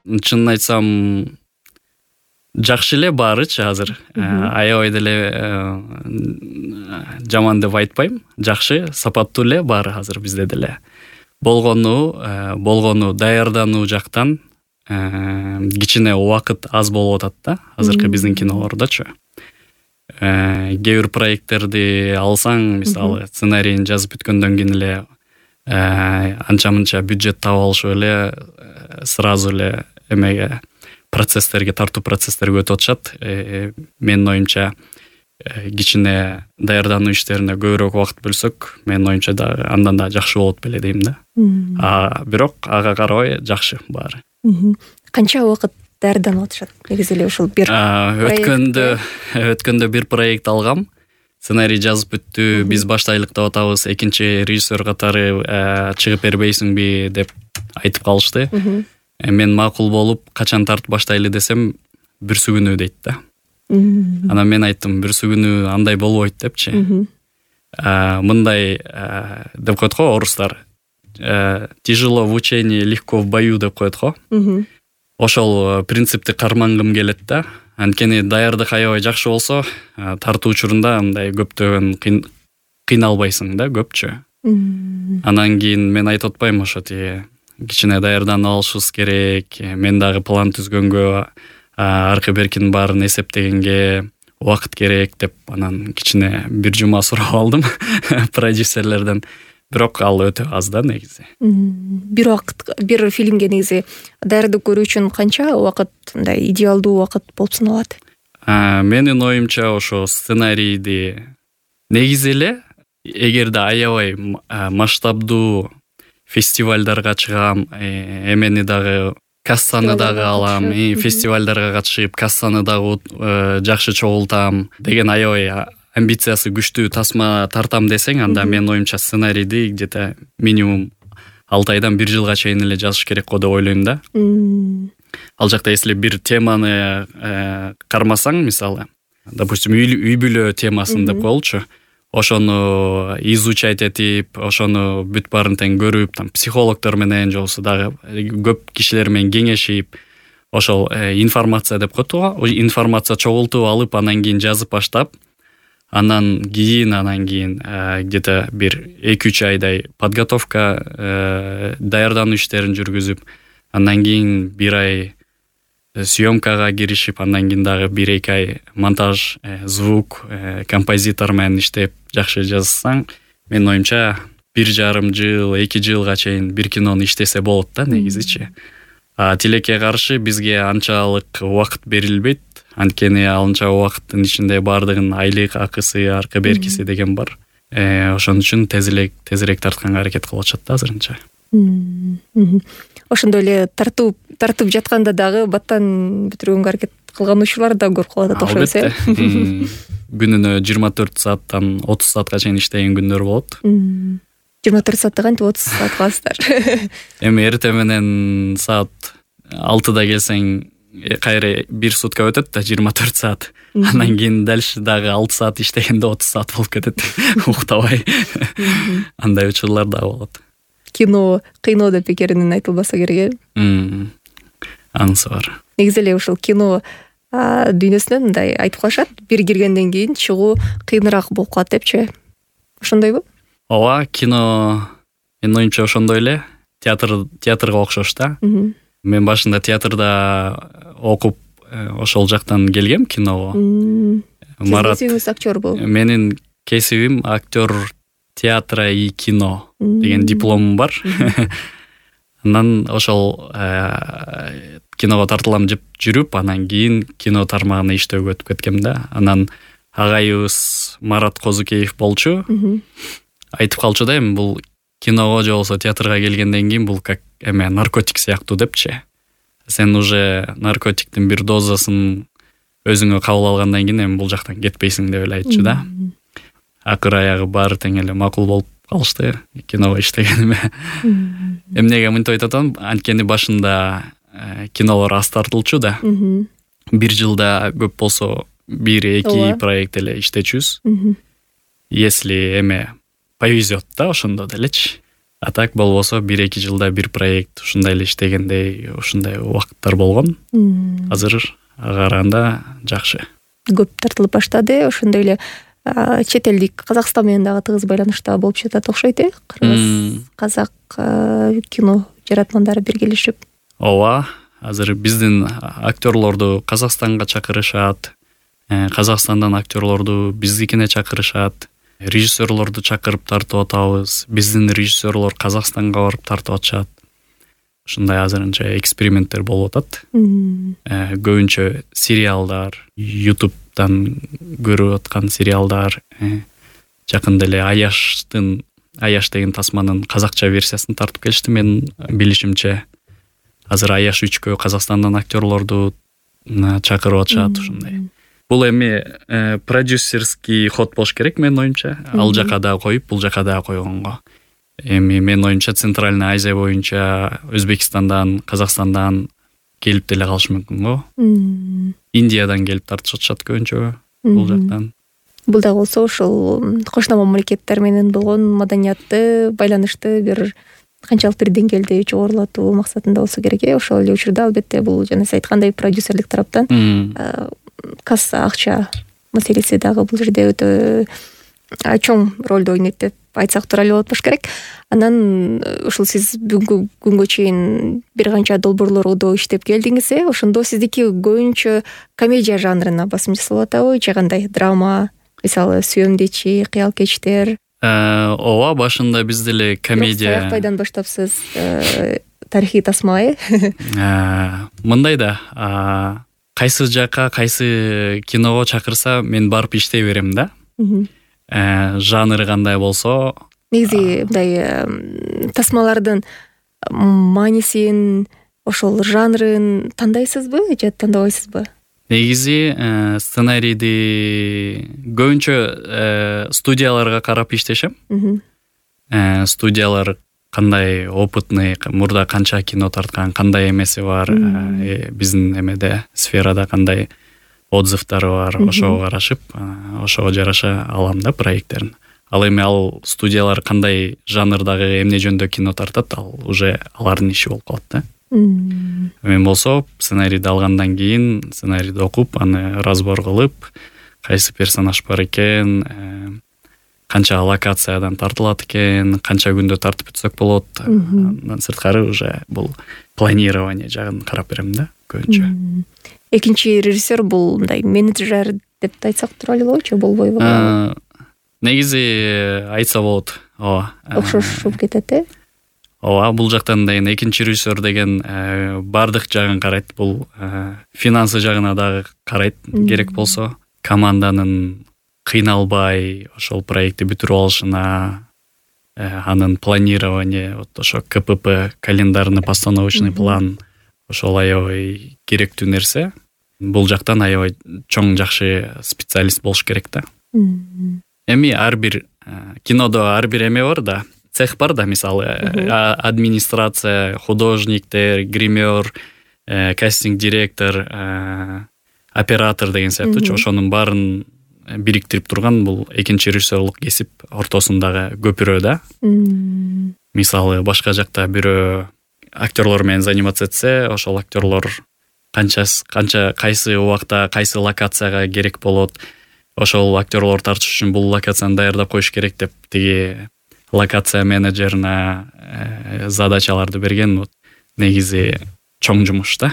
чынын айтсам жакшы эле баарычы азыр. Аябай деле жаман деп айтпайм. Жакшы, сапаттуу эле баары азыр бизде деле. Болгону даярдануу жактан кичине убакыт аз болуп атат да, азыркы биздин кинолордочу. Кээ бир проекттерди алсаң, мисалы, сценарийин жазып бүткөндөн кийин эле анча-мынча бюджет таап алышып эле сразу эле эмеге процесстерге, тартуу процесстерге өтүп атышат. Менин оюмча кичине даярдануу иштерине көбүрөөк убакыт бөлсөк, менин оюмча да андан да жакшы болот беле дейм да. Бирок ага карабай жакшы баары. Канча убакыт даярданып атышат? Негизи эле ушул бир өткөндө бир проект алгам. Сценарий жазып бүттү, биз баштайлык деп атабыз, экинчи режиссер катары чыгып бербейсиңби деп айтып калышты. Мен макул болуп, качан тартып баштайлы десем, бүрсү күнү дейт да. Анан мен айттым, бүрсү күнү андай болбойт депчи. Мындай деп коет го орустар. Тяжело в учении, легко в бою деп коет го. Ошол принципти кармангым келет да. Анткени даярдык аябай жакшы болсо, тартуу учурунда андай көптөгөн кыйналбайсың да, көпчү. Анан кийин мен айтып атпайм, ошо кичине даярданып алышыбыз керек. Мен дагы план түзгөнгө, аркы беркинин баарын эсептегенге убакыт керек деп, анан кичине бир жума сурап алдым продюсерлерден. Бирок ал өтө аз да негизи. Бир фильмге негизи даярдык көрүү үчүн канча убакыт, мындай идеалдуу убакыт болуп саналат? Менин оюмча ошо сценарийди негизи эле эгерде аябай масштабдуу фестивалдарга чыгам, эмени дагы кассаны дагы алам, фестивалдарга катышып кассаны дагы жакшы чогултам деген аябай амбициясы күчтүү тасма тартам десең, анда менин оюмча сценарийди где-то минимум 6 айдан 1 жылга чейин эле жазыш керек го деп ойлойм да. Ал жакта если бир теманы кармасаң, мисалы, допустим, үй бүлө темасын деп коелучу, ошону изучать этип, ошону бүт баарын тең көрүп, там психологдор менен же болбосо дагы көп кишилер менен кеңешип, ошол информация деп коет го, информация чогултуп алып, анан кийин жазып баштап, анан кийин где-то бир 2-3 айдай подготовка, даярдануу иштерин жүргүзүп, андан кийин 1 ай съемкага киришип, андан кийин дагы 1-2 ай монтаж, звук, композитор менен иштеп жакшы жазсаң, менин оюмча 1,5 жыл, 2 жылга чейин бир кинону иштесе болот да негизичи. Тилекке каршы бизге анчалык убакыт берилбейт. Анткени алынча убакыттын ичинде баардыгын айлык акысы, аркы беркиси деген бар. Ошон үчүн тезирээк тартканга аракет кылып атышат да азырынча. Ошондой эле тартып жатканда дагы баттан бүтүргөнгө аракет кылган учурлар да көп калат окшойт, Күнүнө 24 сааттан 30 саатка чейин иштеген күндөр болот. 24 саатта кантип 30 саат каласыздар? Эми эртең менен саат 6-да келсең, кайра 1 сутка өтөт да 24 саат. Андан кийин дальше дагы 6 саат иштегенде 30 саат болуп кетет. Уктабай. Андай учурлар да болот. Кино кыйноо деп бекеринен айтылбаса керек. Анысы бар. Негизи эле ушул кино дүйнөсүнөн мындай айтып калышат, бир киргенден кийин чыгуу кыйыныраак болуп калат депчи. Ошондойбу? Ооба, кино менин оюмча ошондой эле, театрга окшош да. Мен башында театрда окуп, ошол жактан келгем киного. Марат актер болуп. Менин кесибим актер театра и кино деген дипломум бар. Анан ошол киного тартылам деп жүрүп, анан кийин кино тармагына иштөөгө өтүп кеткем да. Анан агайыбыз Марат Козукеев болчу. Айтып калчу да, эми бул киного же болсо театрга келгенден кийин бул как наркотик сыяктуу депчи. Сен уже наркотиктин бир дозасын өзүңө кабыл алгандан кийин эми бул жактан кетпейсиң деп эле айтчу да. Акыр аягы баары тең эле макул болуп калышты киного иштегениме. Эмнеге мынтип айтып атам? Анткени башында кинолор аз тартылчу да. 1 жылда көп болсо 1-2 проект эле иштечүбүз. Если повезет да ошондо делечи. А так болбосо 1-2 жылда бир проект ушундай эле иштегендей ушундай убакыттар болгон. Азыр ага караганда жакшы. Көп тартылып баштады. Ошондой эле чет элдик Казакстан менен дагы тыгыз байланышта болуп жатат окшойт, кыргыз казак кино жаратмандары биргелешип. Ооба, азыр биздин актерлорду Казакстанга чакырышат. Казакстандан актерлорду биздикине чакырышат. Режиссерлорду чакырып тартып атабыз. Биздин режиссерлор Казакстанга барып тартып атышат. Ушундай азырынча эксперименттер болуп атат. Көбүнчө сериалдар, YouTube'дан көрүп аткан сериалдар, жакында эле Аяш деген тасманын казакча версиясын тартып келишти. Мен билишимче азыр Аяш 3-кө Казакстандан актерлорду чакырып атышат ушундай. Бул эми продюсерский ход болуш керек менин оюмча. Ал жака да коюп, бул жака да койгонго. Эми менин оюмча Центральный Азия боюнча Өзбекстандан, Казакстандан келип деле калышы мүмкүн го. Индиядан келип тартышып атышат көбүнчө бул жактан. Бул да болсо ошол кошуна мамлекеттер менен болгон маданиятты, байланышты бир канчалык бир деңгээлде жогорулатуу максатында болсо керек. Ошол эле учурда албетте бул жана сиз айткандай продюсерлик тараптан касса акча маселеси дагы бул жерде өтө чоң ролду ойнойт деп айтсак туура эле болот болуш керек. Анан ушул сиз бүгүнкү күнгө чейин бир канча долбоорлордо иштеп келдиңиз, ошондо сиздики көбүнчө комедия жанрына басым жасалып атабы же кандай? Драма, мисалы Сүйөмдечи, Кыял кечтер. Ооба, башында биз деле комедия. Саяк пайдан баштапсыз тарыхый тасма, Мындай да, кайсы жака, кайсы киного чакырса мен барып иштей берем да. Жанры кандай болсо, негизи мындай тасмалардын маанисин, ошол жанрын тандайсызбы же тандабайсызбы? Негизи сценарийди көбүнчө студияларга карап иштешем. Студиялар кандай опытный, мурда канча кино тарткан, кандай эмеси бар, биздин эмеде сферада кандай отзывдары бар, ошого карашып, ошого жараша алам да проекттерин. Ал эми ал студиялар кандай жанрдагы эмне жөндө кино тартат, ал уже алардын иши болуп калат да. Мен болсо сценарийди алгандан кийин сценарийди окуп, аны разбор кылып, кайсы персонаж бар экен, канча локациядан тартылат экен, канча күндө тартып өтсөк болот. Андан сырткары уже бул планирование жагын карап берем да көбүнчө. Экинчи режиссер бул мындай менеджер деп айтсак туура эле болобу же болбойбу? Негизи айтса болот. Ооба. Окшошуп кетет, Ооба, бул жактан да экинчи режиссер деген бардык жагын карайт. Бул финансы жагына дагы карайт керек болсо. Команданын кыйналбай ошол проектти бүтүрүп алышына, анын планирование, вот ошо КПП, календарный постановочный план, ошол аябай керектүү нерсе. Бул жактан аябай чоң жакшы специалист болуш керек да. Эми ар бир кинодо ар бир эме бар да, цех бар да, мисалы администрация, художниктер, гример, кастинг директор, оператор деген сыяктуу, ошонун баарын бириктирип турган бул экинчи режиссерлук кесип ортосундагы көпүрө да. Мисалы башка жакта бирөө актерлор менен заниматься этсе, ошол актерлор канча кайсы убакта кайсы локацияга керек болот, ошол актерлор тартыш үчүн бул локацияны даярдап коюш керек деп тиги локация менеджерине задачаларды берген. Негизи чоң жумуш да.